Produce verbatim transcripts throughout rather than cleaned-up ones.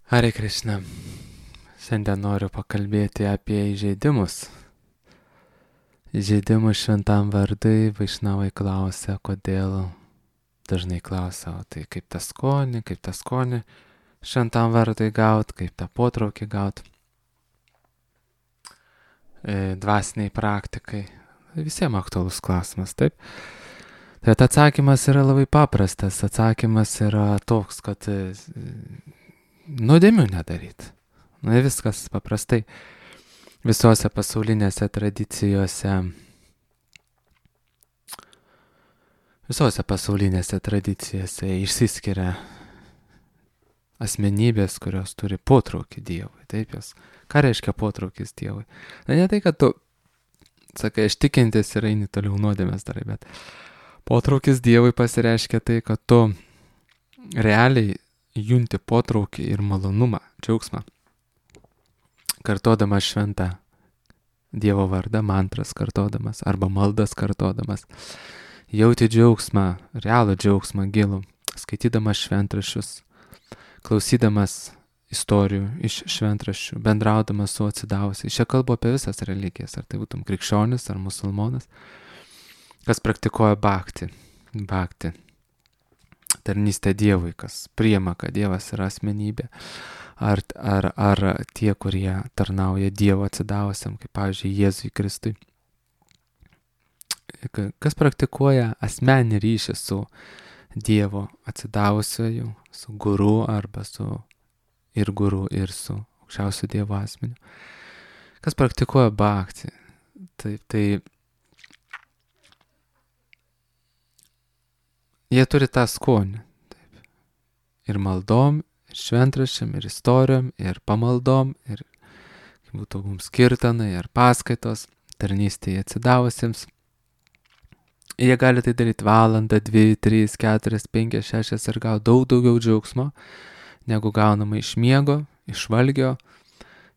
Hare Krishna. Šiandien noriu pakalbėti apie įžeidimus. Įžeidimus šventam vardui Vaišnavai klausia, kodėl dažnai klausia, o tai kaip tą skonį, kaip tą skonį šventam vardui gaut, kaip tą potraukį gaut. E, dvasiniai praktikai. Visiems aktualus klausimas, taip? Tai atsakymas yra labai paprastas. Atsakymas yra toks, kad e, nuodėmių nedaryt. Na viskas paprastai. Visose pasaulinėse tradicijose, visose pasaulinėse tradicijose išsiskiria asmenybės, kurios turi potraukį Dievui. Taip jos. Ką reiškia potraukis Dievui? Na ne tai, kad tu, sakai, aš tikintis ir eini toliau nuodėmės darai, bet potraukis Dievui pasireiškia tai, kad tu realiai junti potraukį ir malonumą, džiaugsmą. Kartodamas šventą Dievo vardą, mantras kartodamas arba maldas kartodamas, jauti džiaugsmą, realų džiaugsmą gilų, skaitydamas šventraščius, klausydamas istorijų iš šventraščių, bendraudamas su atsidavusiais. Čia kalbu apie visas religijas, ar tai būtum krikščionis ar musulmonas, kas praktikuoja bhakti, bhakti, tarnystę Dievui, kas priima, kad Dievas yra asmenybė. Ar, ar, ar tie, kurie tarnauja Dievo atsidavusiam, kaip pavyzdžiui Jėzui Kristui. Kas praktikuoja asmeninį ryšį su Dievo atsidavusioju, su guru arba su ir guru ir su aukščiausiu Dievo asmeniu. Kas praktikuoja bhakti. Taip, tai jie turi tą skonį. Taip. Ir maldom, ir šventraščiam, ir istorijom, ir pamaldom, ir būtų mums kirtanai, ir paskaitos, tarnystėje atsidavusiems. Jie gali tai daryti valandą, dvi, trys, keturias, penkias, šešias ir gauti daug daugiau džiaugsmo, negu gaunama iš miego, iš valgio,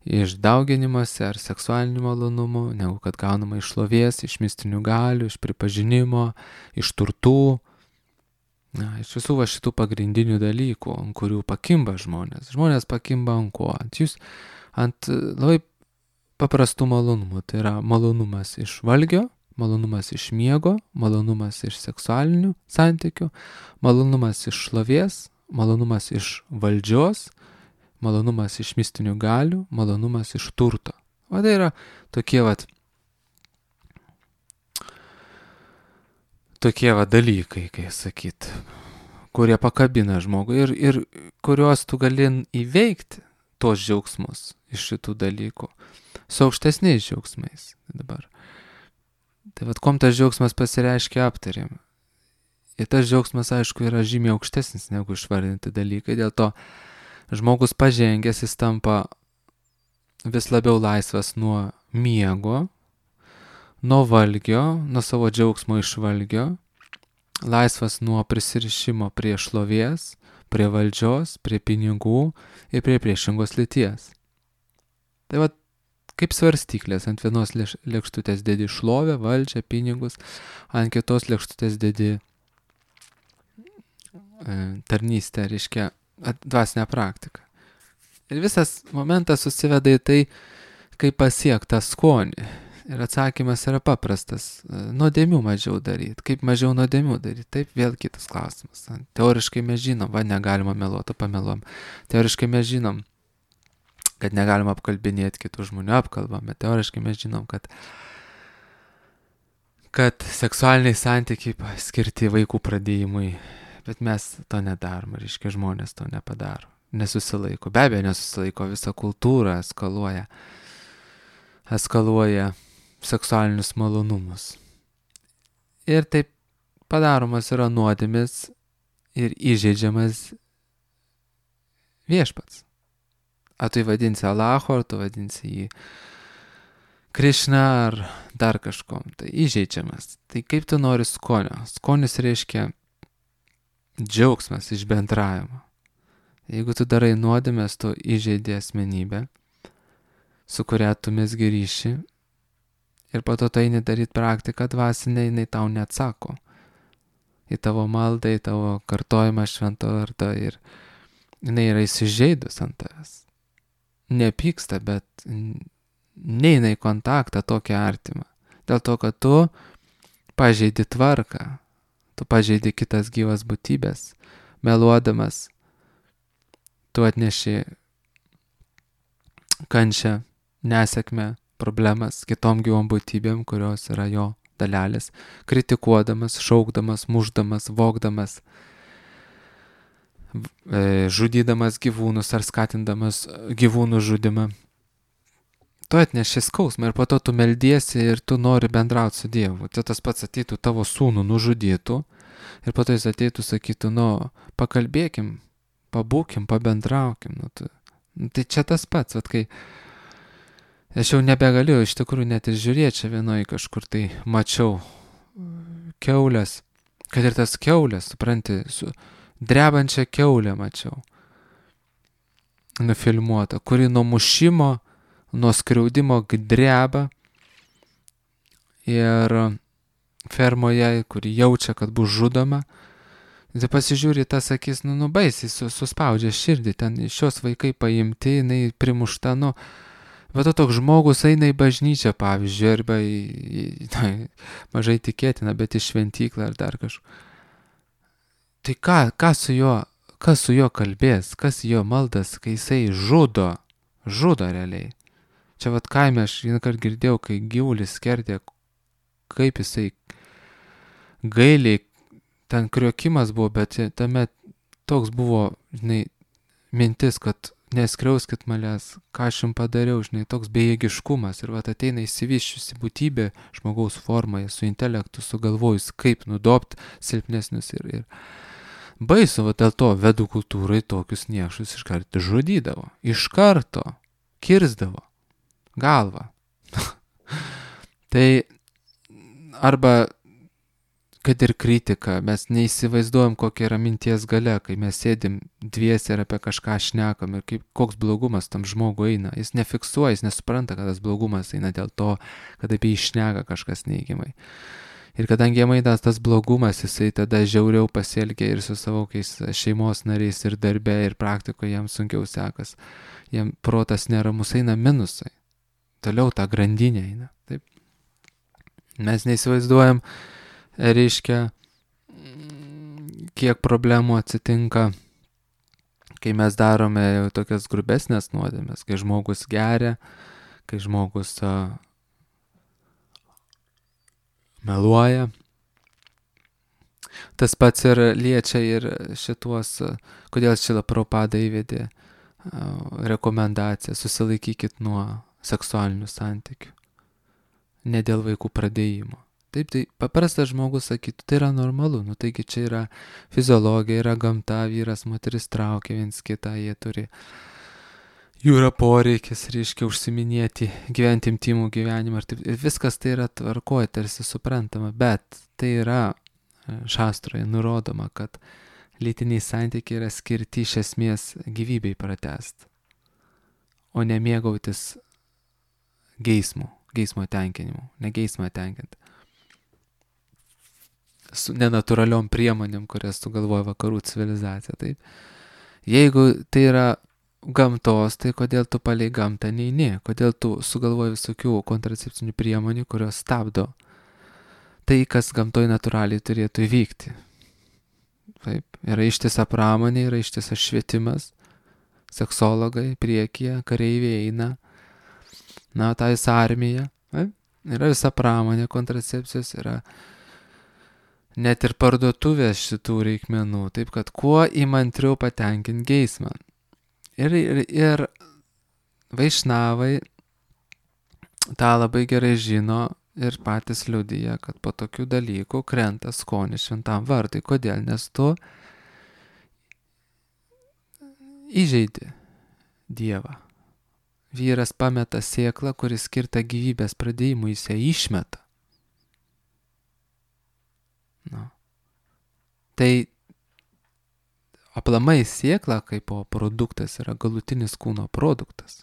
iš dauginimuose ar seksualinių malonumų, negu kad gaunama iš šlovės, iš mistinių galių, iš pripažinimo, iš turtų. Na, iš visų va šitų pagrindinių dalykų, ant kurių pakimba žmonės. Žmonės pakimba ant ko? Ant jūs, ant labai paprastų malonumų. Tai yra malonumas iš valgio, malonumas iš miego, malonumas iš seksualinių santykių, malonumas iš šlovės, malonumas iš valdžios, malonumas iš mistinių galių, malonumas iš turto. O tai yra tokie vat tokie va dalykai, kai sakyt, kurie pakabina žmogų ir, ir kuriuos tu gali įveikti, tos džiaugsmus iš šitų dalykų, su aukštesniais džiaugsmais. Dabar. Tai vad, kom tas džiaugsmas pasireiškia aptarėm. Ir tas džiaugsmas, aišku, yra žymiai aukštesnis negu išvardinti dalykai, dėl to žmogus pažengęs, jis tampa vis labiau laisvas nuo miego, nuo valgio, nuo savo džiaugsmo iš valgio, laisvas nuo prisirišimo prie šlovės, prie valdžios, prie pinigų ir prie priešingos lyties. Tai va, kaip svarstyklės, ant vienos lėkštutės dedi šlovę, valdžią, pinigus, ant kitos lėkštutės dedi e, tarnystę, reiškia dvasinę praktiką. Ir visas momentas susiveda į tai, kaip pasiekti tą skonį. Ir atsakymas yra paprastas. Nuodėmių mažiau daryti. Kaip mažiau nuodėmių daryti? Taip, vėl kitas klausimas. Teoriškai mes žinom, va, negalima meluoti, pameluom. Teoriškai mes žinom, kad negalima apkalbinėti kitų žmonių, apkalbam. Bet teoriškai mes žinom, kad, kad seksualiniai santykiai skirti vaikų pradėjimui. Bet mes to nedarom, reiškia žmonės to nepadaro. Nesusilaiko. Be abejo, nesusilaiko. Visa kultūra eskaluoja. Eskaluoja seksualinius malonumus. Ir taip padaromas yra nuodėmis ir įžeidžiamas viešpats. Ar tu vadinsi Allaho, ar tu vadinsi jį Krishna, ar dar kažkom. Tai įžeidžiamas. Tai kaip tu nori skonio? Skonis reiškia džiaugsmas iš bendravimo. Jeigu tu darai nuodėmės, tu įžeidi asmenybę, su kuria tu mesgi ryšį, ir po to tai nedaryt praktiką dvasinę, jinai tau neatsako į tavo maldą, į tavo kartojimą švento vardo ir jinai yra įsižeidus ant tavęs. Nepyksta, bet neina į kontaktą tokį artimą. Dėl to, kad tu pažeidi tvarką, tu pažeidi kitas gyvas būtybės, meluodamas, tu atneši kančią, nesėkmę, problemas kitom gyvom būtybėm, kurios yra jo dalelės, kritikuodamas, šaukdamas, mušdamas, vogdamas, žudydamas gyvūnus ar skatindamas gyvūnų žudimą. Tu atneši skausmą ir po to tu meldiesi ir tu nori bendrauti su Dievu. Tai tas pats ateitų tavo sūnų nužudytų ir po to jis ateitų sakytų, nu, pakalbėkim, pabūkim, pabendraukim. Nu, tu, nu, tai čia tas pats, vat, kai aš jau nebegaliu iš tikrųjų net ir žiūrėti čia vienoje kažkur tai mačiau kiaulės, kad ir tas kiaulės, supranti, su drebančia kiaulė mačiau nufilmuota, kuri nuo mušimo, nuo skriaudimo dreba ir fermoje, kuri jaučia, kad bus žudoma. Tai pasižiūri tas akis, nu, nu baisiai suspaudžia širdį, ten šios vaikai paimti, jinai primušta, nu, bet to toks žmogus eina į bažnyčią, pavyzdžiui, arba į, į na, mažai tikėtina, bet į šventyklą ar dar kažką. Tai ką, ką su juo, kas su juo kalbės, kas jo maldas, kai jisai žudo, žudo realiai. Čia vat kaime aš vieną kartą girdėjau, kai gyvulis skerdė, kaip jisai gailiai, ten kriokimas buvo, bet tame toks buvo, žinai, mintis, kad neskriauskit manęs, ką aš jums padariau, žinai, toks bejėgiškumas. Ir vat ateina įsivyščiusi būtybė žmogaus formoje, su intelektu, sugalvojus, kaip nudobt silpnesnius. Ir, ir baisu, vat dėl to vedų kultūrai tokius niekšus iš karto žudydavo. Iš karto kirsdavo galvą. Tai arba kad ir kritika, mes neįsivaizduojam, kokia yra minties galia, kai mes sėdim dviese ir apie kažką šnekam ir kaip, koks blogumas tam žmogui eina. Jis nefiksuoja, jis nesupranta, kad tas blogumas eina dėl to, kad apie jį šneka kažkas neigiamai. Ir kadangi jam eina tas blogumas, jisai tada žiauriau pasielgia ir su savo šeimos nariais ir darbe ir praktikoje jam sunkiau sekas. Jam protas neramus, eina minusai. Toliau ta grandinė eina. Taip. Mes neįsivaizduojam, reiškia, kiek problemų atsitinka, kai mes darome jau tokias grubesnės nuodėmes, kai žmogus geria, kai žmogus a, meluoja. Tas pats ir liečia ir šituos, a, kodėl Šrila Prabhupada įvedė a, rekomendaciją, susilaikykit nuo seksualinių santykių, ne dėl vaikų pradėjimo. Taip, tai paprastas žmogus sakytų, tai yra normalu, nu taigi čia yra fiziologija, yra gamta, vyras, moteris traukia viens kitą, jie turi, jų yra poreikis, reiškia, užsiminėti, gyventi intimų gyvenimą, ir taip, viskas tai yra tvarkoje, tarsi suprantama, bet tai yra šastroje nurodoma, kad lytiniai santykiai yra skirti iš esmės gyvybei pratęsti, o ne mėgautis geismu, geismo tenkinimu, ne geismą tenkinti. Su nenatūraliom priemonėm, kurias sugalvoja vakarų civilizacija. Taip. Jeigu tai yra gamtos, tai kodėl tu palei gamtą neini? Kodėl tu sugalvoji visokių kontracepcinių priemonių, kurios stabdo tai, kas gamtoj natūraliai turėtų įvykti? Taip. Yra ištisa pramonė, yra ištisas švietimas, seksologai priekyje, kareiviai eina, na, ta visa armija. Taip. Yra visa pramonė kontracepcijos, yra net ir parduotuvės šitų reikmenų, taip kad kuo įmantriau patenkinti geismą. Ir, ir, ir vaišnavai tą labai gerai žino ir patys liudija, kad po tokių dalykų krenta skonis šventam vardui. Kodėl? Nes tu įžeidi Dievą. Vyras pameta sėklą, kuris skirta gyvybės pradėjimui, jis ją išmeta. Nu. Tai aplamai sėkla kaip produktas yra galutinis kūno produktas.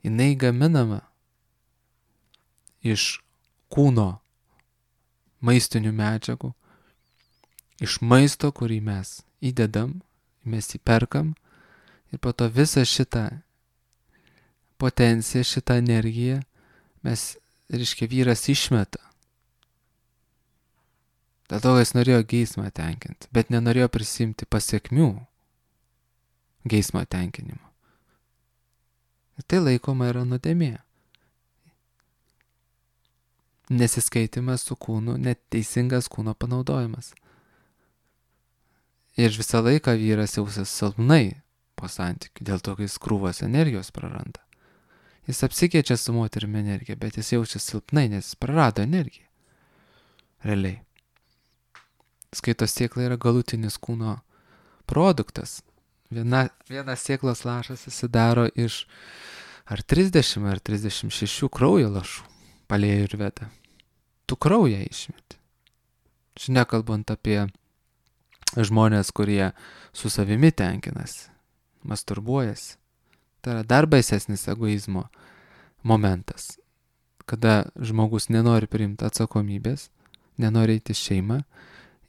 Jinai gaminama iš kūno maistinių medžiagų, iš maisto, kurį mes įdedam, mes jį perkam ir po to visą šitą potenciją, šitą energiją mes, reiškia, vyras išmeta. Dėl to, jis norėjo geismą tenkinti, bet nenorėjo prisimti pasiekmių geismo tenkinimo. Ir tai laikoma yra nuodėmė. Nesiskaitimas su kūnu, neteisingas kūno panaudojimas. Ir visą laiką vyras jausis silpnai po santykių, dėl to, kai jis krūvas energijos praranda. Jis apsikeičia su moterimi energiją, bet jis jaučia silpnai, nes jis prarado energiją. Realiai. Skaitos sėkla yra galutinis kūno produktas. Viena, vienas sėklos lašas susidaro iš ar trisdešimt ar trisdešimt šešių kraujo lašų, palėjų ir veda. Tu kraują išmeti. Čia nekalbant apie žmonės, kurie su savimi tenkinasi, masturbuojasi. Tai yra dar baisesnis egoizmo momentas, kada žmogus nenori priimti atsakomybės, nenori eiti šeimą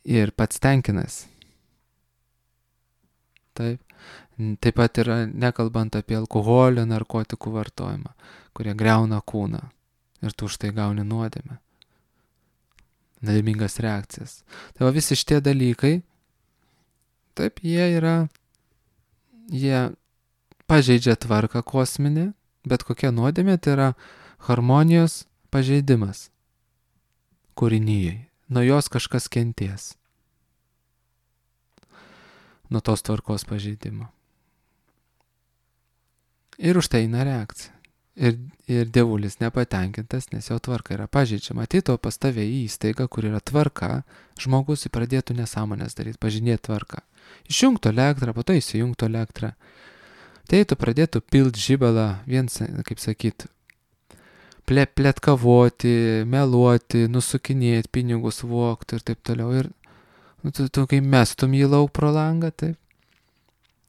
ir pats tenkinasi. Taip. Taip pat yra nekalbant apie alkoholio, narkotikų vartojimą, kurie griauna kūną ir tu už tai gauni nuodėmę. Nuodėmingas reakcijas. Tai va visi šitie dalykai, taip, jie yra, jie pažeidžia tvarką kosminę, bet kokia nuodėmė tai yra harmonijos pažeidimas kūrinyjei. Nuo jos kažkas kenties. Nuo tos tvarkos pažeidimo. Ir už tai eina reakcija. Ir, ir dievulis nepatenkintas, nes jo tvarka yra pažeidžiama. Atito pas tave į įstaigą, kur yra tvarka, žmogus pradėtų nesąmonės daryti, pažinėti tvarką. Išjungtų elektrą, po to įsijungtų elektrą. Tai tu pradėtų pilt žibalą, viens, kaip sakyt, ple, pletkavoti, meluoti, nusukinėti, pinigus vogti ir taip toliau. Ir nu, tu, tu kai mestum jį lauk pro langą, taip,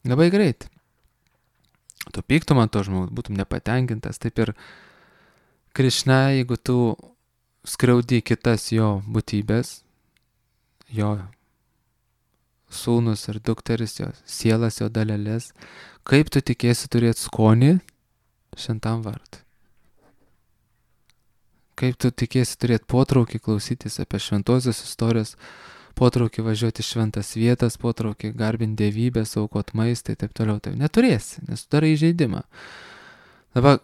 labai greit. Tu pyktum ant to žmogus, būtum nepatenkintas. Taip ir Krišna, jeigu tu skriaudi kitas jo būtybės, jo sūnus ir dukteris, jo sielas, jo dalelės, kaip tu tikėsi turėti skonį šventam vardui? Kaip tu tikėsi turėti potraukį klausytis apie šventosios istorijos, potraukį važiuoti šventas vietas, potraukį garbinti dievybės, aukot maistą ir taip toliau. Tai neturėsi, nes tu darai įžeidimą. Dabar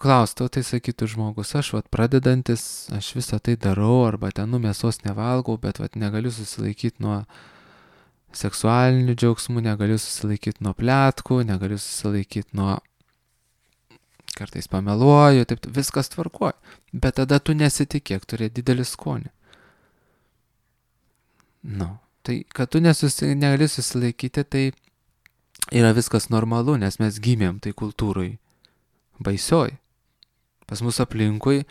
klaustų, tai sakytų žmogus, aš vat pradedantis, aš visą tai darau, arba ten nu mėsos nevalgau, bet vat negaliu susilaikyti nuo seksualinių džiaugsmų, negaliu susilaikyti nuo pletkų, negaliu susilaikyti nuo kartais pameluoju, taip viskas tvarkoja. Bet tada tu nesitikėk turėti didelį skonį. Nu, tai kad tu nesusi, negali susilaikyti, tai yra viskas normalu, nes mes gimėm tai kultūrai baisioj. Pas mus aplinkui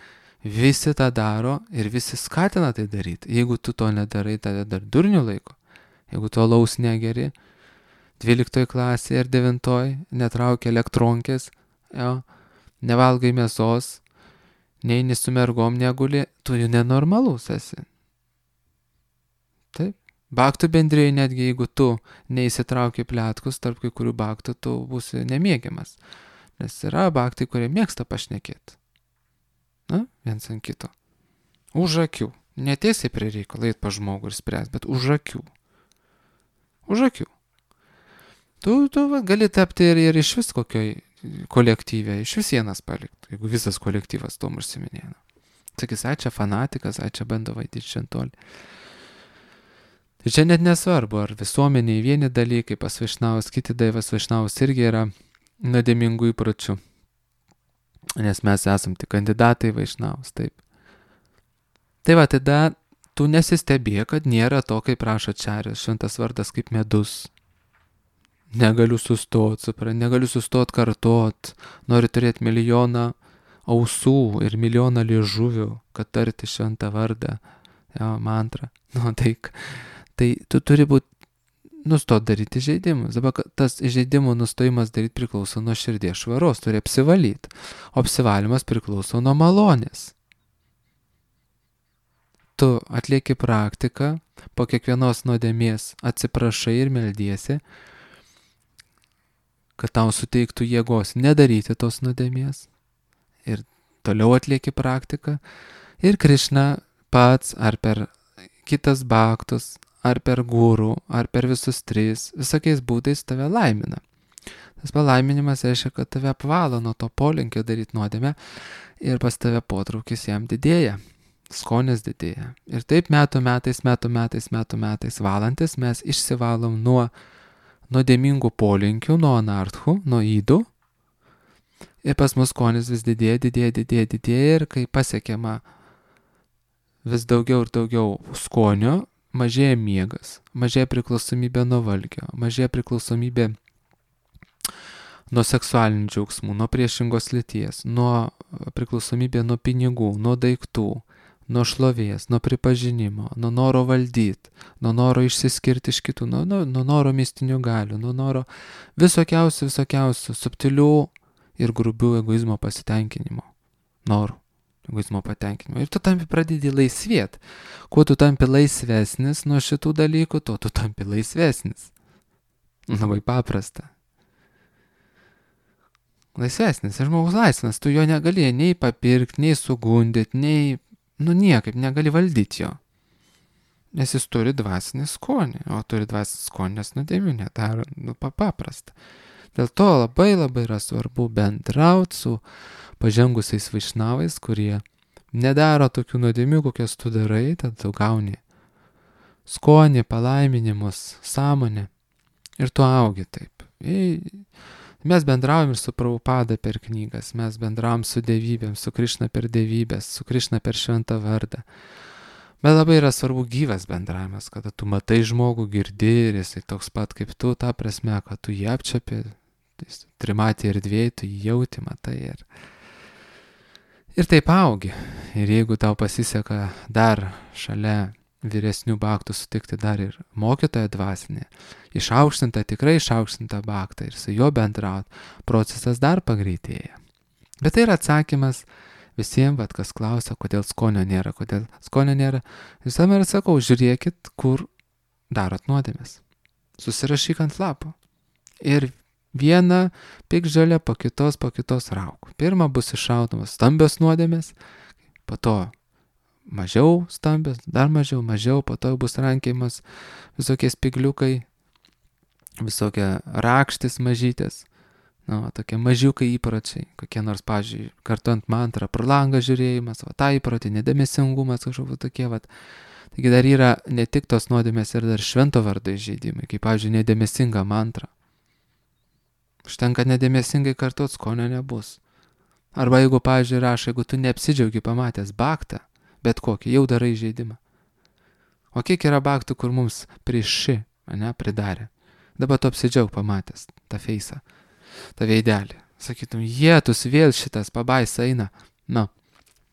visi tą daro ir visi skatina tai daryti. Jeigu tu to nedarai, tada dar durnių laiko. Jeigu tu alaus negeri, dvyliktoj klasėje ir devintoj netraukia elektronkės, jo, nevalgai mėsos, neini su mergom neguli, tu jau nenormalus esi. Taip. Baktų bendrėjai netgi jeigu tu neįsitrauki pletkus, tarp kai kurių baktų tu būsi nemėgiamas. Nes yra baktai, kurie mėgsta pašnekėti. Na, viens ant kito. Už akių. Netiesiai prie reikalo eit pa žmogų ir spręs, bet už akių. Už akių. Tu, tu va, gali tapti ir, ir iš vis kokioj kolektyvė, iš vis vienas palikti, jeigu visas kolektyvas tom užsiminėna. Sakys, ai čia fanatikas, ai čia bando vaidyti šventolį. Tai čia net nesvarbu, ar visuomeniai vieni dalykai, pas Vaišnavus, kiti daivas Vaišnavus irgi yra nuodėmingų įpročių. Nes mes esam tik kandidatai Vaišnavus, taip. Tai va, tada tu nesistebė, kad nėra to, kaip prašo Čarės, šventas vardas kaip medus. Negaliu sustot, supra, negaliu sustot kartot, noriu turėti milijoną ausų ir milijoną liežuvių, kad tarti šventą vardą, jo, mantrą. Nu, tai, tai tu turi būti, nustot daryti įžeidimus. Dabar tas įžeidimų nustojimas daryti priklauso nuo širdies švaros, turi apsivalyti. O apsivalymas priklauso nuo malonės. Tu atlieki praktiką, po kiekvienos nuodėmės atsiprašai ir meldiesi, kad tau suteiktų jėgos nedaryti tos nuodėmės. Ir toliau atlieki praktiką. Ir Krišna pats ar per kitas bhaktus, ar per gurų, ar per visus tris, visokiais būdais tave laimina. Tas palaiminimas reiškia, kad tave apvalo nuo to polinkio daryti nuodėmę ir pas tave potraukis jam didėja, skonis didėja. Ir taip metų metais, metų metais, metų metais valantis mes išsivalom nuo nuodėmingų polinkių, nuo anarthų, nuo ydų. Ir pas mus skonis vis didėja, didėja, didėja, didėja ir kai pasiekiama vis daugiau ir daugiau skonio, mažėja miegas, mažėja priklausomybė nuo valgio, mažėja priklausomybė nuo seksualinių džiaugsmų, nuo priešingos lyties, nuo priklausomybė nuo pinigų, nuo daiktų, nuo šlovės, nuo pripažinimo, nuo noro valdyti, nuo noro išsiskirti iš kitų, nuo, nuo, nuo noro mistinių galių, nuo noro visokiausių, visokiausių subtilių ir grubių egoizmo pasitenkinimo, norų. Egoizmo patenkinimo. Ir tu tampi pradedi laisvėt. Kuo tu tampi laisvesnis nuo šitų dalykų, tuo tu tampi laisvesnis. Labai paprasta. Laisvesnis. Ir žmogus laisvas. Tu jo negali nei papirkti, nei sugundyti, nei, nu niekaip negali valdyti jo. Nes jis turi dvasinį skonį. O turi dvasinį skonį, nes nuodėmių nedaro. Nu, paprasta. Dėl to labai labai yra svarbu bendrauti su pažengusiais vaišnavais, kurie nedaro tokių nuodėmių, kokias tu darai, tad tu gauni skonį, palaiminimus, sąmonę ir tu augi taip. Mes bendraujam ir su Prabhupada per knygas, mes bendraujam su dievybėm, su Krišna per dievybės, su Krišna per šventą vardą. Bet labai yra svarbu gyvas bendravimas, kada tu matai žmogų, girdi ir jisai toks pat kaip tu, ta prasme, kad tu jį apčiapi, trimatį erdvėj, tu jį jauti, matai ir... Ir taip augi. Ir jeigu tau pasiseka dar šalia vyresnių bhaktų sutikti dar ir mokytoją dvasinį, išaukštintą, tikrai išaukštintą bhaktą ir su juo bendraut, procesas dar pagreitėja. Bet tai yra atsakymas visiems, vat, kas klausia, kodėl skonio nėra, kodėl skonio nėra. Visam ir atsakau, žiūrėkit, kur darot nuodėmės. Susirašyk ant lapo. Ir vieną piktžolę po kitos, po kitos rauk. Pirma bus iššaudomas stambios nuodėmės, po to mažiau stambios, dar mažiau, mažiau, po to bus rankėjimas visokie spigliukai, visokie rakštis mažytės, nu, tokie mažiukai įpročiai, kokie nors, pavyzdžiui, kartuojant mantrą, pro langą žiūrėjimas, va, tą įprotį, nedėmesingumas, kažkokie tokie, va. Taigi dar yra ne tik tos nuodėmės ir dar švento vardo įžeidimai, kaip, pavyzdžiui, nedėmesinga mantra. Užtenka nedėmesingai kartuot, skonio nebus. Arba jeigu, pavyzdžiui, rašo, jeigu tu neapsidžiaugi pamatęs bhaktą, bet kokį, jau darai žaidimą. O kiek yra bhaktų, kur mums prieš ši, ane, pridarė. Dabar tu apsidžiaug pamatęs tą feisą, tą veidelį. Sakytum, jėtus vėl šitas pabaisa eina. Na,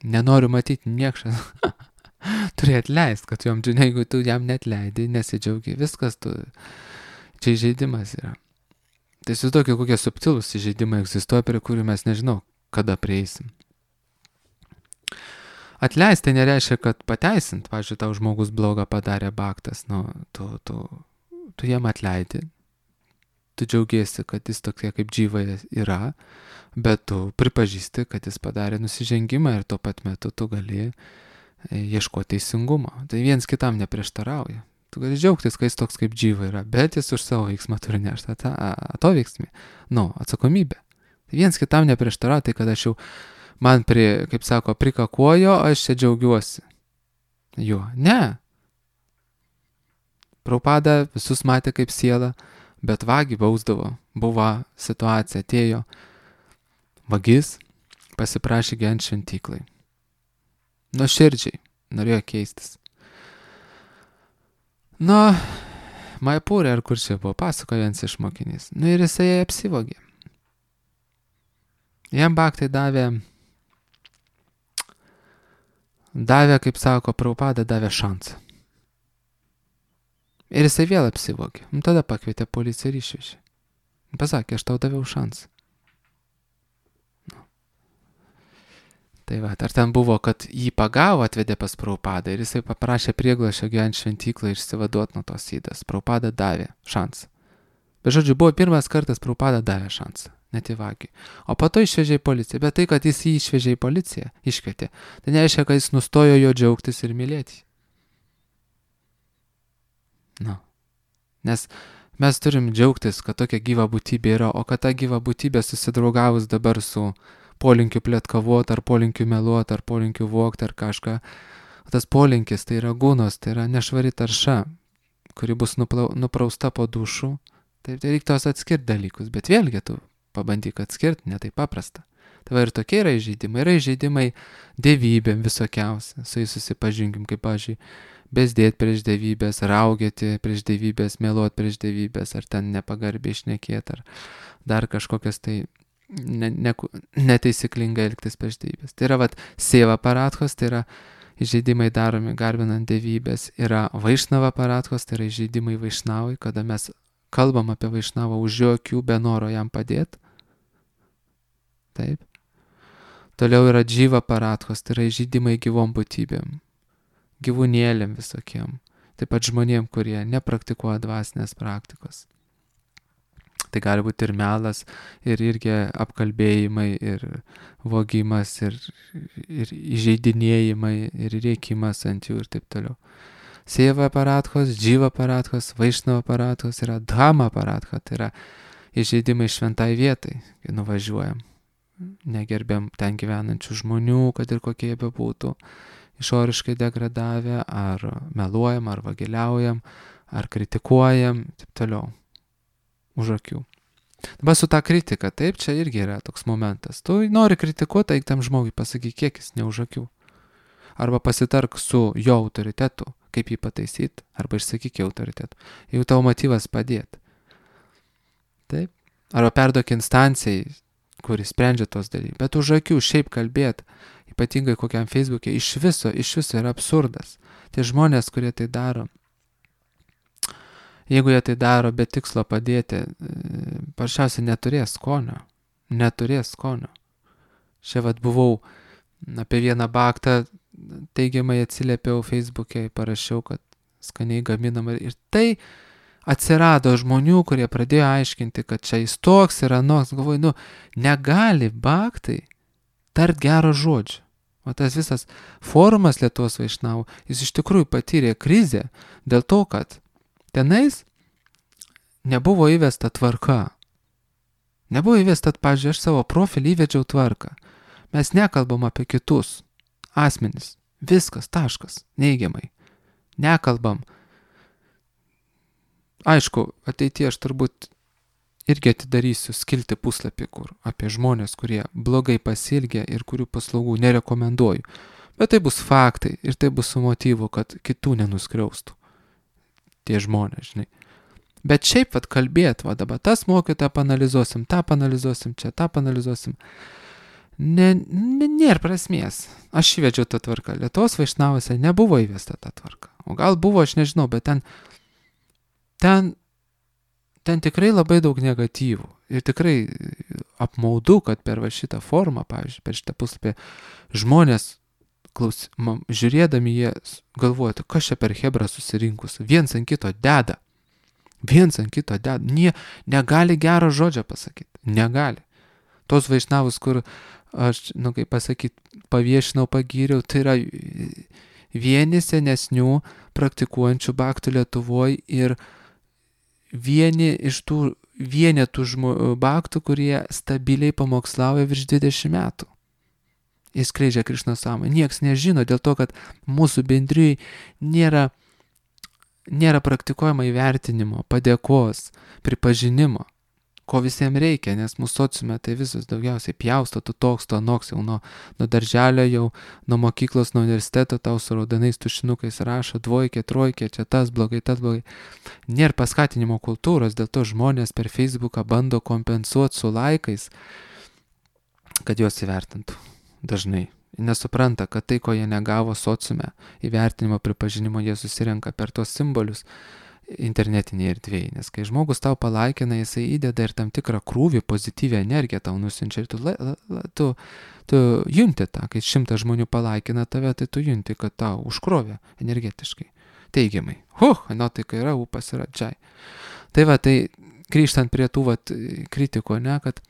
nenoriu matyti niekšas. Turi atleist, kad jom, jeigu tu jam netleidai, nesidžiaugi, viskas tu, čia žaidimas yra. Tai įsivaizduokit, kokie subtilūs įžeidimai egzistuoja, prie kurių mes nežinau, kada prieisim. Atleist tai nereiškia, kad pateisint, pavyzdžiui, tau žmogus blogą padarė bhaktas, nu, tu, tu, tu jam atleidi, tu džiaugiesi, kad jis tokia kaip džyva yra, bet tu pripažįsti, kad jis padarė nusižengimą ir tuo pat metu tu gali ieškoti teisingumo. Tai viens kitam neprieštarauja. Tu gali džiaugtis, kai jis toks kaip džyva yra, bet jis už savo veiksmą turi nešti atoveiksmį, nu, atsakomybę. Tai viens kitam neprieštarauja, tai kad aš jau man, pri, kaip sako, prikakuojo, aš čia džiaugiuosi. Jo, ne. Prabhupada visus matė kaip siela, bet vagį bausdavo. Buvo situacija, atėjo vagis, pasiprašė gyventi šventyklai. Nuoširdžiai, norėjo keistis. Nu, Maipūrė, ar kur čia buvo, pasakojo vienas iš mokinys. Nu ir jisai apsivogė. Jam bhaktai davė, davė, kaip sako, Prabhupada davė šansą. Ir jisai vėl apsivogė. Nu, tada pakvietė policiją ir išvežė. Pasakė, aš tau daviau šansą. Nu. Tai va, ar ten buvo, kad jį pagavo, atvedė pas Prabhupadą ir jisai paprašė prieglašio gyventi šventyklą ir išsivaduoti nuo tos įdas. Prabhupada davė šansą. Bet žodžiu, buvo pirmas kartas Prabhupada davė šansą, net į vagį. O po to išvežė į policiją. Bet tai, kad jis jį išvežė į policiją, iškvietė, tai nereiškia, kad jis nustojo jo džiaugtis ir mylėti. Nu. Nes mes turim džiaugtis, kad tokia gyva būtybė yra, o kad ta gyva būtybė susidraugavus dabar su polinkiu plėtkavot, ar polinkiu meluot, ar polinkiu vogt, ar kažką. Tas polinkis tai yra gūnos, tai yra nešvari tarša, kuri bus nuplau, nuprausta po dušų. Taip, tai reiktos atskirti dalykus, bet vėlgi tu pabandyk atskirti, ne taip paprasta. Tai va ir tokie yra įžeidimai, yra įžeidimai dievybėm visokiausia, su jais susipažinkim, kaip, pavyzdžiui, bezdėt prieš dievybės, raugėti prieš dievybės, meluot prieš dievybės, ar ten nepagarbiai šnekėti, ar dar kažkokias tai ne, ne, netaisyklingai elgtis prieš dievybės. Tai yra vat seva paratkos, tai yra įžeidimai daromi garbinant dievybės, yra vaišnava paratkos, tai yra įžeidimai vaišnavai, kada mes kalbam apie vaišnavą už jo akių, be noro jam padėti. Taip. Toliau yra džyva paratkos, tai yra įžeidimai gyvom būtybėm, gyvūnėlėm visokiem, taip pat žmonėm, kurie nepraktikuoja dvasinės praktikos. Tai gali būti ir melas, ir irgi apkalbėjimai, ir vogimas, ir, ir įžeidinėjimai, ir rėkimas ant jų ir taip toliau. Seva paratkos, džyva paratkos, vaišnava paratkos yra dhama paratka, tai yra įžeidimai šventai vietai, kai nuvažiuojam. Negerbėm ten gyvenančių žmonių, kad ir kokie jie bebūtų, išoriškai degradavę, ar meluojam, ar vagiliaujam, ar kritikuojam, taip toliau, už akių. Dabar su ta kritika, taip, čia irgi yra toks momentas. Tu nori kritikuoti, eik tam žmogui pasakyk, kiek jis ne už akių. Arba pasitark su jo autoritetu, kaip jį pataisyti, arba išsakyk jo autoritetu. Jeigu tavo motyvas padėti. Taip. Arba perduok instancijai, kuris sprendžia tos dalykus. Bet už akių šiaip kalbėti, ypatingai kokiam Facebook'e, iš viso, iš viso yra absurdas. Tie žmonės, kurie tai daro, jeigu jie tai daro be tikslo padėti, paprasčiausiai neturės skonio. Neturės skonio. Čia vat buvau apie vieną baktą, teigiamai atsiliepiau Facebook'e, parašiau, kad skaniai gaminama. Ir tai atsirado žmonių, kurie pradėjo aiškinti, kad čia jis toks yra noks. Galvoju, nu, negali baktai tart gero žodžio. O tas visas forumas Lietuvos vaišnavų, jis iš tikrųjų patyrė krizę dėl to, kad tenais nebuvo įvesta tvarka. Nebuvo įvesta, pavyzdžiui, aš savo profilį įvedžiau tvarką. Mes nekalbam apie kitus asmenis. Viskas, taškas, neigiamai. Nekalbam. Aišku, ateityje aš turbūt irgi atidarysiu skilti puslapį, kur apie žmonės, kurie blogai pasielgia ir kurių paslaugų nerekomenduoju. Bet tai bus faktai ir tai bus su motyvu, kad kitų nenuskriaustų tie žmonės, žinai. Bet šiaip vat kalbėt, va dabar tas mokytą panalizuosim, tą panalizuosim, čia tą panalizuosim. Ne, ne, nėra prasmės. Aš įvedžiau tą tvarką. Lietuvos vaišnavose nebuvo įvesta ta tvarka. O gal buvo, aš nežinau, bet ten Ten, ten tikrai labai daug negatyvų ir tikrai apmaudu, kad per va šitą formą, pavyzdžiui, per šitą puslapį žmonės, klaus, man, žiūrėdami jie galvoja, kas čia per hebrą susirinkus, viens ant kito deda, viens ant kito deda, nie, negali gero žodžio pasakyti, negali. Tos vaišnavus, kur aš, nu kaip pasakyti, paviešinau, pagyriau, tai yra vieni senesnių praktikuojančių baktų Lietuvoje ir vieni iš tų vienetų žmo, baktų, kurie stabiliai pamokslauja virš dvidešimt metų. Jis skleidžia Krišnos sąmonę. Niekas nežino dėl to, kad mūsų bendrijai nėra, nėra praktikuojama įvertinimo, padėkos, pripažinimo, ko visiems reikia, nes mūsų sociume tai visus daugiausiai pjausto, tu toks, tu anoks, jau nuo, nuo darželio, jau nuo mokyklos, nuo universiteto tau su raudonais tušinukais rašo dvojkė, trojkė, čia tas blogai, tas blogai. Nėra paskatinimo kultūros, dėl to žmonės per Facebooką bando kompensuoti su laikais, kad juos įvertintų dažnai. Nesupranta, kad tai, ko jie negavo sociume, įvertinimo, pripažinimo, jie susirenka per tos simbolius internetinėje erdvėje, nes kai žmogus tau palaikina, jisai įdeda ir tam tikrą krūvį, pozityvę energiją tau nusiunčia ir tu, la, la, tu, tu junti tą, kai šimtas žmonių palaikina tave, tai tu junti, kad tau užkrovė energetiškai, teigiamai. Huh, nuotaika yra, upas yra džiai. Tai va, tai grįžtant prie tų vat, kritikų, ne, kad,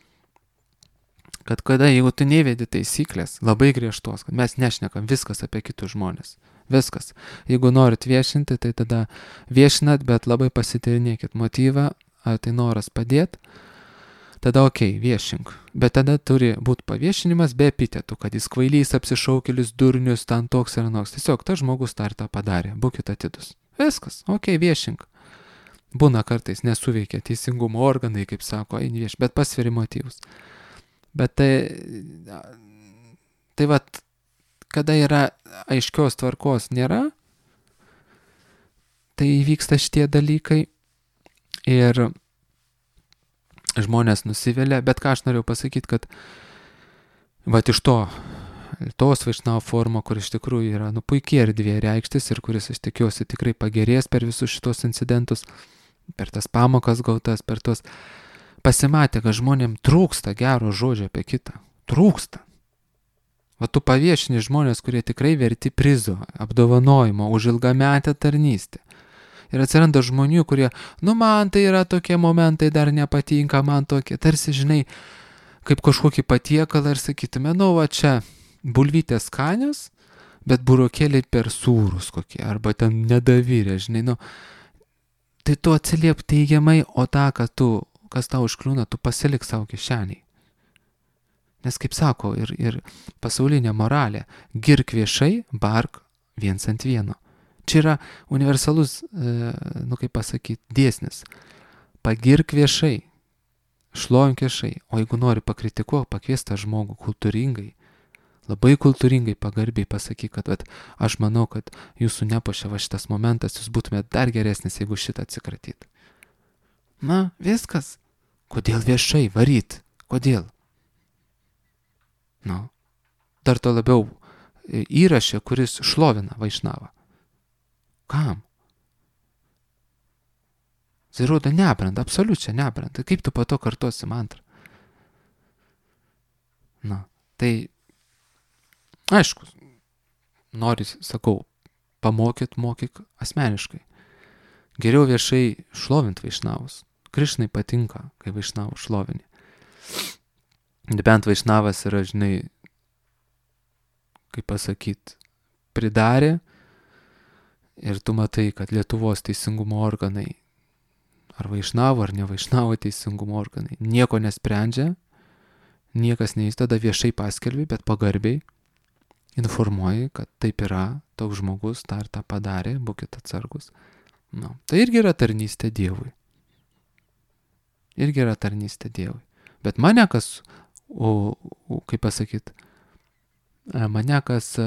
kad kada, jeigu tu nevedi taisyklės, labai griežtos, kad mes nešnekam viskas apie kitus žmonės, viskas. Jeigu norit viešinti, tai tada viešinat, bet labai pasityrinėkit motyvą, ar tai noras padėti, tada okei, okay, viešink. Bet tada turi būti paviešinimas be epitetų, kad jis kvailys, apsišaukėlis, durnius, ten toks ir anoks. Tiesiog tas žmogus tą ir tą padarė, būkit atidus. Viskas, okei, okay, viešink. Būna kartais nesuveikia teisingumo organai, kaip sako, eini vieš, bet pasveri motyvus. Bet tai, tai vat, kada yra aiškios tvarkos nėra, tai įvyksta šitie dalykai ir žmonės nusivelia, bet ką aš norėjau pasakyti, kad vat iš to, tos Vaišnavo forumo, kur iš tikrųjų yra nu, puikiai erdvė reikštis ir kuris, aš tikiuosi, tikrai pagerės per visus šitos incidentus, per tas pamokas gautas, per tos pasimatė, kad žmonėm trūksta gero žodžio apie kitą. Trūksta. Va tu paviešini žmonės, kurie tikrai verti prizo, apdovanojimo už ilgametę tarnystę. Ir atsiranda žmonių, kurie, nu man tai yra tokie momentai, dar nepatinka, man tokie, tarsi, žinai, kaip kažkokį patiekalą ir sakytume, nu va čia bulvytės skanios, bet burokėliai per sūrus kokie, arba ten nedavyrė, žinai, nu, tai tu atsiliep teigiamai, o tą, kad tu, kas tau užkliūna, tu pasilik savo kišeniai. Nes kaip sako, ir, ir pasaulinė moralė, girk viešai, bark viens ant vieno. Čia yra universalus, nu kaip pasakyti, dėsnis. Pagirk viešai, šlovink viešai, o jeigu nori pakritikuok, pakvies tą žmogų kultūringai, labai kultūringai, pagarbiai pasakyk, kad vat, aš manau, kad jūsų nepuošia va šitas momentas, jūs būtumėt dar geresnis, jeigu šitą atsikratyt. Na, viskas. Kodėl viešai varyt? Kodėl? Nu, dar to labiau įrašė, kuris šlovina Vaišnavą. Kam? Tai rodo nebranda, absoliučiai nebranda. Kaip tu po to kartuosi mantrą? Na, tai aišku, nori, sakau, pamokyt, mokyk asmeniškai. Geriau viešai šlovint Vaišnavus. Krišnai patinka, kai Vaišnavų šlovinį. Bent Vaišnavas yra, žinai, kaip pasakyt, pridarė. Ir tu matai, kad Lietuvos teisingumo organai, ar Vaišnavo, ar ne Vaišnavo teisingumo organai, nieko nesprendžia, niekas neįstada viešai paskelbi, bet pagarbiai informuoji, kad taip yra, toks žmogus tą ir tą padarė, būkit atsargus. Nu, tai irgi yra tarnystė Dievui. Irgi yra tarnystė Dievui. Bet mane kas, o, o, kaip pasakyt, mane kas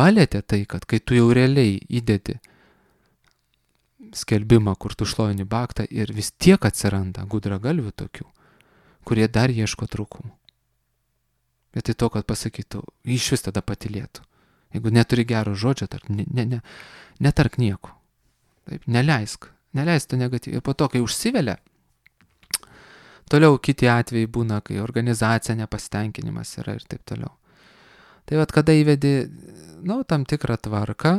palėtė tai, kad kai tu jau realiai įdedi skelbimą, kur tu šlovini baktą ir vis tiek atsiranda gudragalvių tokių, kurie dar ieško trūkumų. Bet tai to, kad pasakytų, iš vis tada patylėtų. Jeigu neturi gero žodžio, tarp, ne, ne, ne, netark nieko. Taip, neleisk, neleisk to negatyviai. Po to, kai užsivelia, toliau kiti atvejai būna, kai organizacija nepasitenkinimas yra ir taip toliau. Tai vat, kada įvedi, nu, tam tikrą tvarką,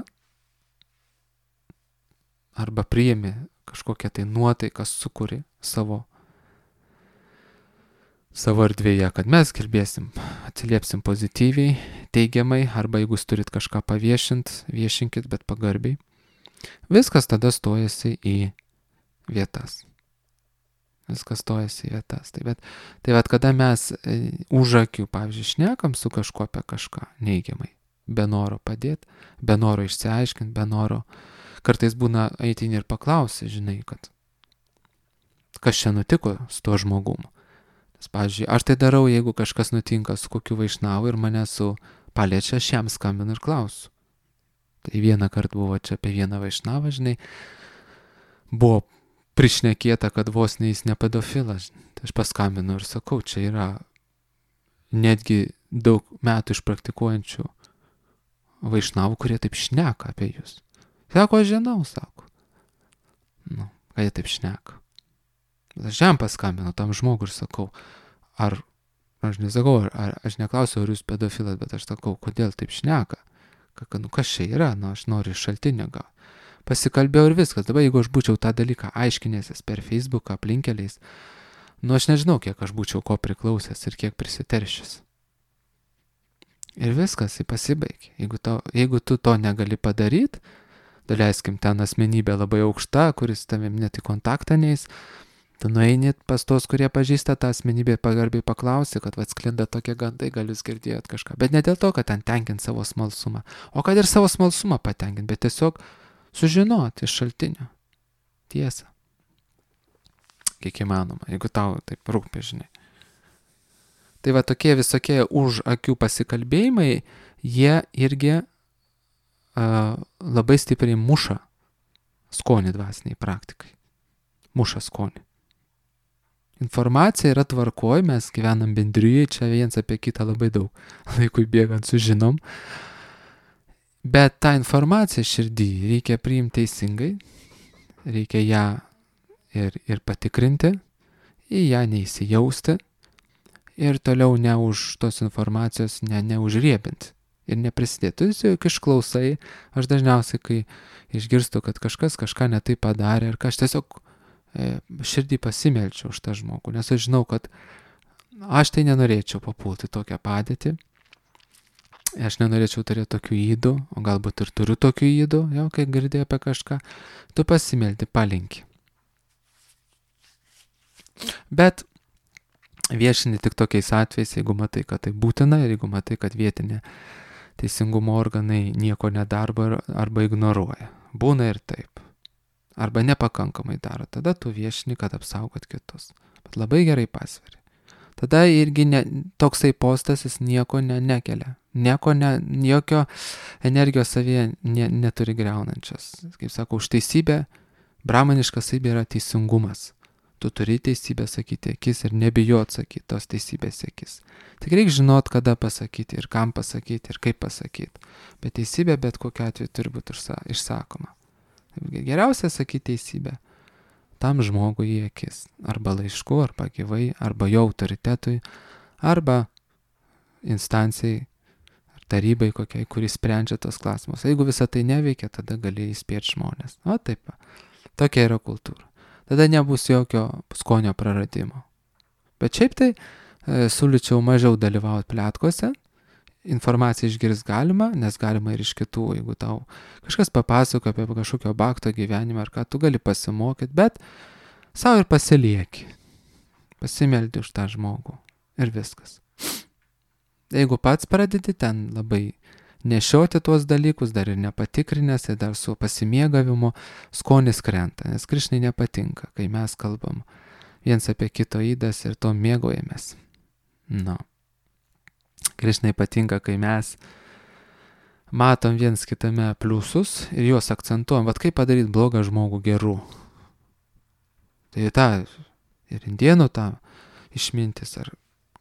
arba priimi kažkokią tai nuotaiką, sukuri savo, savo erdvėje, kad mes kalbėsim, atsiliepsim pozityviai, teigiamai, arba jeigu jūs turit kažką paviešint, viešinkit, bet pagarbiai. Viskas tada stojasi į vietas. Viskas stojasi į vietas. Tai bet, tai bet kada mes už akių, pavyzdžiui, šnekam su kažkuo apie kažką neigiamai, be noro padėti, be noro išsiaiškinti, be noro, kartais būna eitini ir paklausi, žinai, kad kas čia nutiko su tuo žmogumu. Nes, pavyzdžiui, aš tai darau, jeigu kažkas nutinka su kokiu Vaišnavu ir mane su paliečia, aš jam skambinu ir klausiu. Tai vieną kartą buvo čia apie vieną Vaišnavą, žinai, buvo prišnekėta, kad vos ne jis ne pedofilas. Tai aš paskambinu ir sakau, čia yra netgi daug metų išpraktikuojančių Vaišnavų, kurie taip šneka apie jūs. Sako, aš žinau, sako. Nu, ką jie taip šneka. Aš jam paskambinu tam žmogui ir sakau, ar, aš nesakau, ar, aš neklausiu, ar jūs pedofilas, bet aš sakau, kodėl taip šneka. Kad, nu, kas čia yra, nu, aš noriu šaltinio gauti. pasikalbėjau ir viskas. Dabar jeigu aš būčiau tą dalyką aiškinęsis per Facebooką aplinkeliais, nu aš nežinau, kiek aš būčiau ko priklausęs ir kiek prisiteršęs. Ir viskas, jį pasibaigė. Jeigu, to, jeigu tu to negali padaryti, daleiskim ten asmenybė labai aukšta, kuris tavim net į kontaktą neis, tu nueini pas tos, kurie pažįsta tą asmenybę, pagarbiai paklausi, kad atsklinda tokie gandai, gal jūs girdėjot kažką. Bet ne dėl to, kad ten tenkint savo smalsumą, o kad ir savo smalsumą patenkint, bet tiesiog sužinoti iš šaltinio tiesą. Kiek įmanoma, jeigu tau taip rūpi, žinai. Tai va tokie visokie už akių pasikalbėjimai, jie irgi uh, labai stipriai muša skonį dvasiniai praktikai. Muša skonį. Informacija yra tvarkoj, mes gyvenam bendrijai, čia viens apie kitą labai daug laikui bėgant sužinom. Bet tą informaciją širdį reikia priimti teisingai, reikia ją ir, ir patikrinti, į ją neįsijausti ir toliau ne už tos informacijos ne, neužriebinti ir neprisidėti. Tu tiesiog išklausai, aš dažniausiai, kai išgirstu, kad kažkas kažką netai padarė ir ką aš tiesiog širdį pasimelčiau už tą žmogų, nes aš žinau, kad aš tai nenorėčiau papulti tokią padėtį, aš nenorėčiau turėti tokių įdų, o galbūt ir turiu tokių įdų, jau kai girdėjai apie kažką, tu pasimeldi, palinki. Bet viešini tik tokiais atvejais, jeigu matai, kad tai būtina ir jeigu matai, kad vietinė teisingumo organai nieko nedarbo arba ignoruoja. Būna ir taip. Arba nepakankamai daro, tada tu viešini, kad apsaugot kitus. Bet labai gerai pasveri. Tada irgi ne, toksai postas jis nieko ne, nekelia. Nieko ne, jokio energijos savyje ne, neturi greunančios. Kaip sako, už teisybę, brahmaniška savybė yra teisingumas. Tu turi teisybę sakyti akis ir nebijot sakyti tos teisybės akis. Tik reikia žinot, kada pasakyti ir kam pasakyti ir kaip pasakyti. Bet teisybė bet kokiu atveju turi būti išsakoma. Geriausia sakyti teisybę tam žmogui į akis, arba laišku, arba gyvai, arba jo autoritetui, arba instancijai, ar tarybai kokiai, kuris sprendžia tos klausimus. Jeigu visą tai neveikia, tada gali įspėti žmonės. O taip, tokia yra kultūra. Tada nebus jokio skonio praradimo. Bet šiaip tai e, siūlyčiau mažiau dalyvauti pletkose. Informaciją išgirs galima, nes galima ir iš kitų, jeigu tau kažkas papasako apie kažkokio bakto gyvenimą, ar ką tu gali pasimokyti, bet savo ir pasilieki. Pasimeldi už tą žmogų ir viskas. Jeigu pats pradedi ten labai nešioti tuos dalykus, dar ir nepatikrinęs, ir dar su pasimėgavimu, skonis krenta, nes Krišnai nepatinka, kai mes kalbam viens apie kito įdas ir to mėgaujamės. Nu. Krišnai patinka, kai mes matom viens kitame pliusus ir juos akcentuojam. Vat kaip padaryti blogą žmogų geru. Tai tą ir indienų tą išmintis ar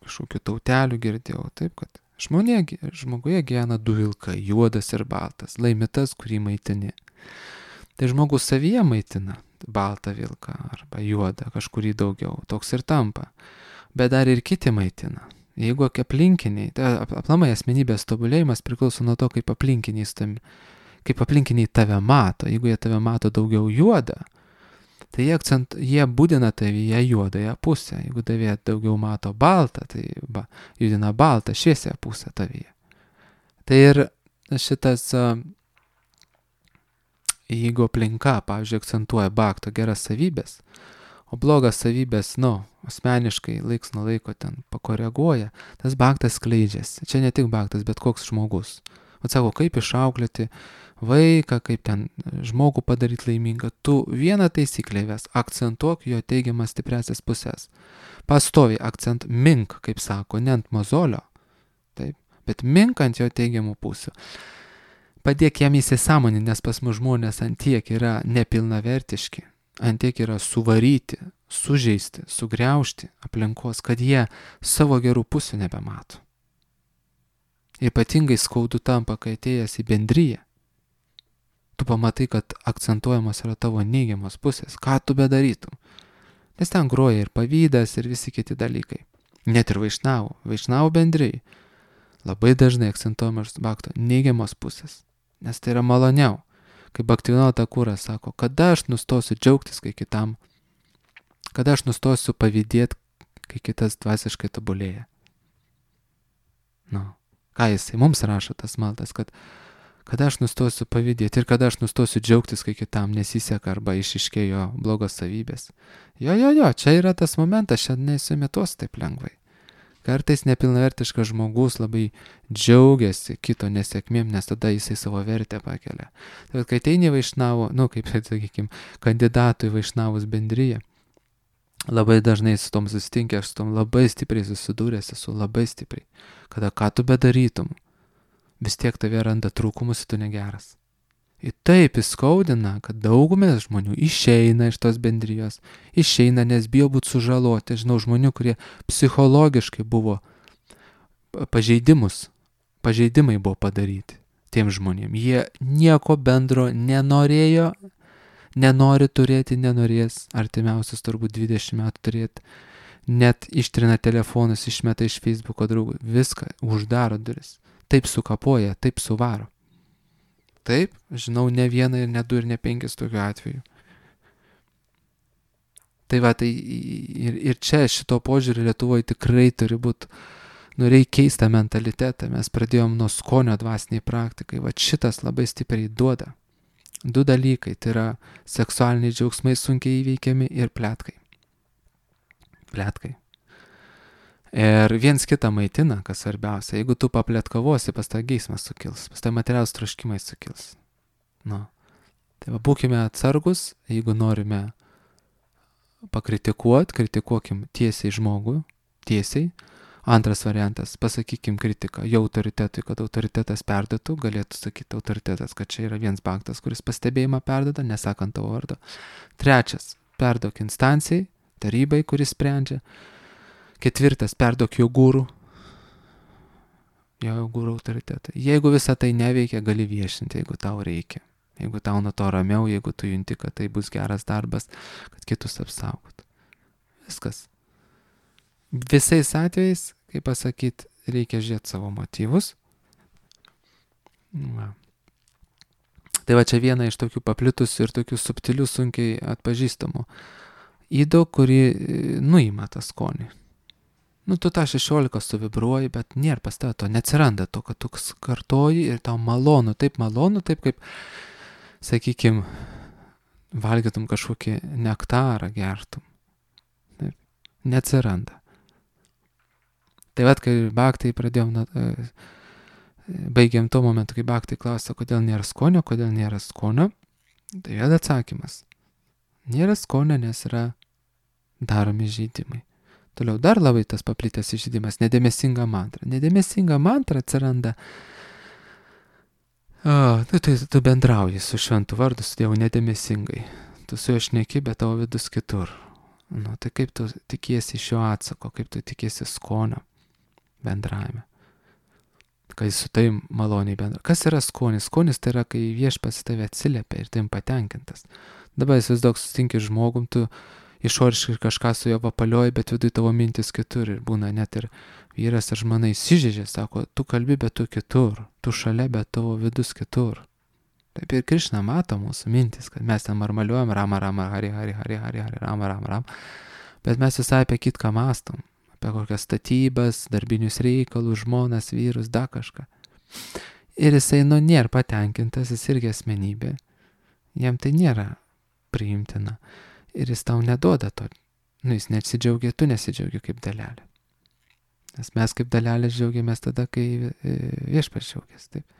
kažkokių tautelių girdėjau. Taip, kad žmonė, žmoguje gyvena du vilkai, juodas ir baltas. Laimi tas, kurį maitini. Tai žmogus savyje maitina baltą vilką arba juodą, kažkurį daugiau. Toks ir tampa. Bet dar ir kiti maitina. Jeigu aplinkiniai, tai aplamai asmenybės tobulėjimas priklauso nuo to, kaip aplinkiniai, kaip aplinkiniai tave mato. Jeigu jie tave mato daugiau juodą, tai jie, akcent, jie būdina tavyje juodąją pusę. Jeigu tavie daugiau mato baltą, tai ba, judina baltą, šviesią pusę tavyje. Tai ir šitas, jeigu aplinka, pavyzdžiui, akcentuoja bakto geras savybės, o blogas savybės, nu, asmeniškai laiks nuo laiko ten pakoreguoja, tas baktas skleidžiasi. Čia ne tik baktas, bet koks žmogus. O sako, kaip išauklėti vaiką, kaip ten žmogų padaryti laimingą. Tu vieną taisyklę ves, akcentuok jo teigiamas stipriasias pusės. Pastoviai akcent, mink, kaip sako, ne ant mozolio, taip, bet mink ant jo teigiamų pusių. Padėk jam įsisąmoninti, nes pas mus žmonės ant tiek yra nepilnavertiški. Ant tiek yra suvaryti, sužeisti, sugriaužti aplinkos, kad jie savo gerų pusių nebemato. Ypatingai skaudu tampa, kai atėjęs į bendriją. Tu pamatai, kad akcentuojamos yra tavo neigiamos pusės. Ką tu bedarytum? Nes ten groja ir pavydas, ir visi kiti dalykai. Net ir vaišnavų. Vaišnavų bendrijai. Labai dažnai akcentuojamos bakto neigiamos pusės. Nes tai yra maloniau. kaip Bhaktivinoda Thakura sako, kada aš nustosiu džiaugtis, kai kitam, kada aš nustosiu pavydėti, kai kitas dvasiškai tobulėja. Nu, ką jisai mums rašo tas maldas, kad kada aš nustosiu pavydėti ir kada aš nustosiu džiaugtis, kai kitam nesiseka arba išiškėjo blogos savybės. Jo, jo, jo, čia yra tas momentas, šiandien neįsimetos taip lengvai. Kartais nepilnavertiškas žmogus labai džiaugiasi kito nesėkmėm, nes tada jisai savo vertę pakelia. Tai kai ateini Vaišnavo, nu kaip, sakykime, kandidatų į Vaišnavus bendryje, labai dažnai su tom susitinkė, aš su tom labai stipriai susidūręs esu, labai stipriai. Kada ką tu bedarytum, vis tiek tave randa trūkumus ir tu negeras. Ir taip įskaudina, kad daugumės žmonių išeina iš tos bendrijos, išeina, nes bijo būti sužaloti. Žinau žmonių, kurie psichologiškai buvo pažeidimus, pažeidimai buvo padaryti tiem žmonėm. Jie nieko bendro nenorėjo, nenori turėti, nenorės artimiausius turbūt dvidešimt metų turėti. Net ištrina telefonus, išmeta iš Facebooko draugų, viską, uždaro duris. Taip sukapoja, taip suvaro. Taip, žinau ne vieną ir ne du ir ne penkis tokių atvejų. Tai va, tai ir, ir čia šito požiūrį Lietuvoje tikrai turi būti, nu reikia keistą mentalitetą. Mes pradėjom nuo skonio dvasiniai praktikai. Va šitas labai stipriai duoda. Du dalykai, tai yra seksualiniai džiaugsmai sunkiai įveikiami ir pletkai. Pletkai. Ir viens kitą maitina, kas svarbiausia. Jeigu tu papletkavosi, pas tą geismas sukils, pas tą materialus troškimai sukils. Nu. Tai va, būkime atsargus, jeigu norime pakritikuoti, kritikuokim tiesiai žmogų, tiesiai. Antras variantas, pasakykim kritiką jo autoritetui, kad autoritetas perduotų, galėtų sakyti autoritetas, kad čia yra vienas baktas, kuris pastebėjimą perduoda, nesakant tavo vardo. Trečias, perduok instancijai, tarybai, kuris sprendžia. Ketvirtas, perduok jo gūrų, jo gūrų autoritetą. Jeigu visą tai neveikia, gali viešinti, jeigu tau reikia. Jeigu tau nuo to ramiau, jeigu tu junti, kad tai bus geras darbas, kad kitus apsaugot. Viskas. Visais atvejais, kaip pasakyti, reikia žiūrėti savo motyvus. Va. Tai va čia viena iš tokių paplitusių ir tokių subtilių, sunkiai atpažįstamų ydų, kuri nuima tą skonį. Nu, tu tą šešiolika suvibruoji, bet nėra pas tave to, neatsiranda to, kad tu kartoji ir tau malonu, taip malonu, taip kaip, sakykim, valgytum kažkokį nektarą, gertum. Taip, neatsiranda. Tai vat, kai bhaktai pradėjom, na, baigiam tuo momentu, kai bhaktai klausia, kodėl nėra skonio, kodėl nėra skonio, tai vėl atsakymas. Nėra skonio, nes yra daromi žydimai. Toliau dar labai tas paplitęs išžydimas, nedėmesinga mantra. Nedėmesinga mantra atsiranda, o, tu, tu, tu bendrauji su šventu vardu, su Dievu nedėmesingai. Tu su juo šneki, bet tavo vidus kitur. Nu, tai kaip tu tikiesi iš jo atsako, kaip tu tikiesi skonio bendravime. Kai su tai maloniai bendra. Kas yra skonis? Skonis tai yra, kai viešpats tave atsiliepia ir tai patenkintas. Dabar įsivaizduok, susitinki žmogum, tu išoriškai kažką su jo papalioji, bet vidui tavo mintis kitur. Ir būna net ir vyras ar žmona įsižeidžia, sako, tu kalbi, bet tu kitur. Tu šalia, bet tavo vidus kitur. Taip ir Krišna mato mūsų mintis, kad mes ten marmaliuojam, rama, rama, hari, hari, hari, hari, hari, rama, rama, rama. Bet mes visai apie kitką mastom. Apie kokias statybas, darbinius reikalus, žmonas, vyrus, da kažką. Ir jisai, nu, nėra patenkintas, jis irgi asmenybė. Jam tai nėra priimtina. Ir jis tau neduoda to. Nu, jis nesidžiaugia, tu nesidžiaugi kaip dalelė. Nes mes kaip dalelė džiaugiamės tada, kai viešpats džiaugiasi. Taip.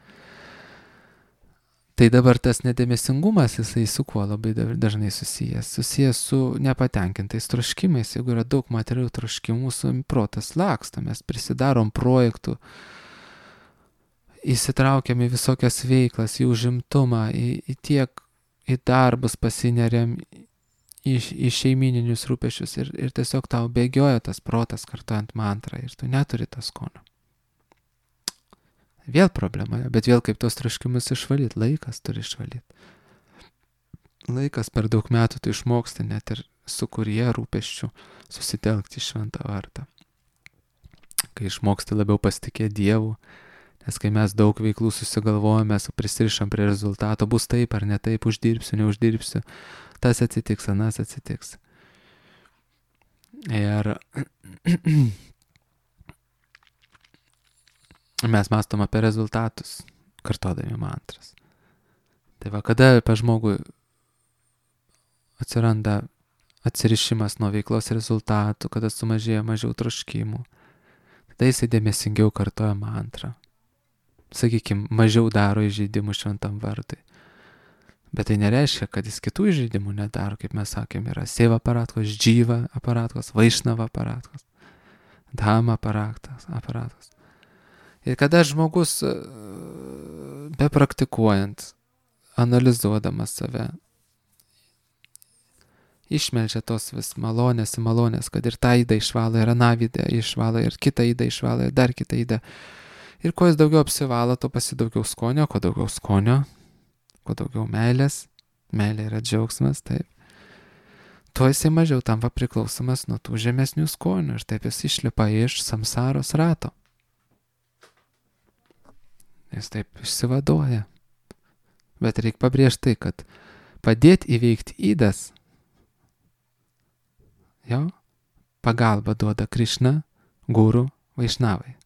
Tai dabar tas nedėmesingumas, jisai su kuo labai dažnai susijęs. Susijęs su nepatenkintais troškimais. Jeigu yra daug materialių troškimų, mūsų protas laksto, mes prisidarom projektų, įsitraukiam į visokias veiklas, į užimtumą, į, į tiek, į darbus pasineriam, į, į šeimininius rūpešius ir, ir tiesiog tau bėgioja tas protas kartuojant mantrą ir tu neturi to skonio. Vėl problema, bet vėl kaip tos troškimus išvalyti, laikas turi išvalyti. Laikas per daug metų tu išmoksti net ir su kurie rūpesčių susitelkti šventą vardą. Kai išmoksti labiau pasitikėti Dievu, Nes kai mes daug veiklų susigalvojame, mes prisirišam prie rezultato, bus taip ar ne taip, uždirbsiu, neuždirbsiu, tas atsitiks, anas atsitiks. Ir mes mąstom apie rezultatus, kartodami mantras. Tai va, kada apie žmogų atsiranda atsirišimas nuo veiklos rezultatų, kada sumažėja mažiau troškimų, tada jisai dėmesingiau kartoja mantrą. Sakykime, mažiau daro įžeidimų šventam vardui. Bet tai nereiškia, kad jis kitų įžeidimų nedaro, kaip mes sakėm, yra Seva aparatkos, Džyva aparatkos, Vaišnava aparatkos, Dhama aparatkos, aparatkos. Ir kada žmogus, bepraktikuojant, analizuodamas save, išmelžia tos vis malonės į malonės, kad ir tą įdą išvalo, ir aną įdą išvalo, ir kitą įdą išvalo, ir dar kitą įdą. Ir kuo jis daugiau apsivalo, to pasi daugiau skonio, kuo daugiau skonio, kuo daugiau meilės, meilė yra džiaugsmas, taip. Tuo jisai mažiau tampa priklausomas nuo tų žemesnių skonių ir taip jis išlipa iš samsaros rato. Jis taip išsivaduoja. Bet reikia pabrėžti tai, kad padėti įveikti įdas, jo, pagalba duoda Krišna, guru, Vaišnavai.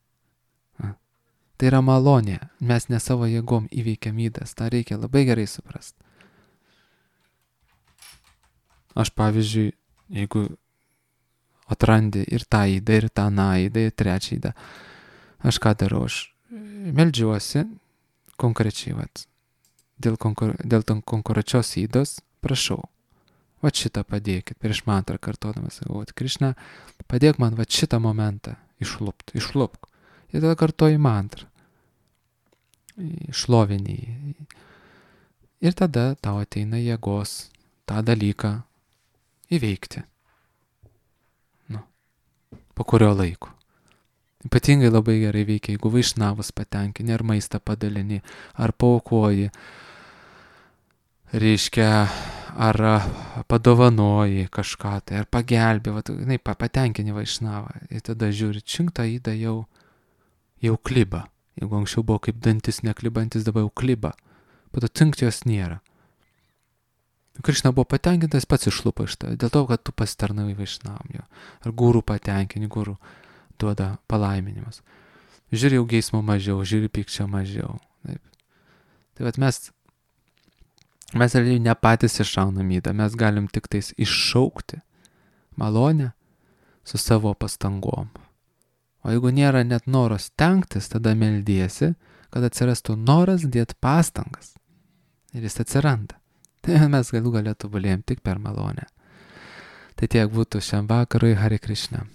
Tai yra malonė, mes ne savo jėgom įveikiam įdas, tą reikia labai gerai suprasti. Aš pavyzdžiui, jeigu atrandi ir tą įdą, ir tą aną įdą, ir trečią įdą, aš ką darau, aš meldžiuosi konkrečiai, vat, dėl, konkur, dėl konkrečios įdos, prašau, vat šitą padėkit, prieš mantrą kartodamas, sakau, vat, Krišna, padėk man vat šitą momentą išlupt, išlupk. Ir tada kartoji mantrą, šlovinį. Ir tada tau ateina jėgos tą dalyką įveikti. Nu, po kurio laiko. Ypatingai labai gerai veikia, jeigu Vaišnavus patenkini, ar maistą padalini, ar paaukoji, reiškia, ar padovanoji kažką, tai ar pagelbė, va, ne, patenkini Vaišnavą. Ir tada žiūri, činktą įdą jau jau kliba. Jeigu anksčiau buvo kaip dantis neklibantis, dabar jau kliba. Pato cinkti jos nėra. Krišna buvo patenkintas, pats išlupa iš tavęs, dėl to, kad tu pasitarnavai Vaišnavam jo. Ar guru patenkini, guru duoda palaiminimas. Žiūri jau geismo mažiau, žiūri pykčio mažiau. Taip. Tai vat mes, mes realiai ne patys iššaunam įdą, mes galim tik tais iššaukti malonę su savo pastangom. O jeigu nėra net noros stengtis, tada meldiesi, kad atsirastų noras dėti pastangas. Ir jis atsiranda. Tai mes galų galėtų tobulėjom tik per malonę. Tai tiek būtų šiam vakarui. Hare Krishna.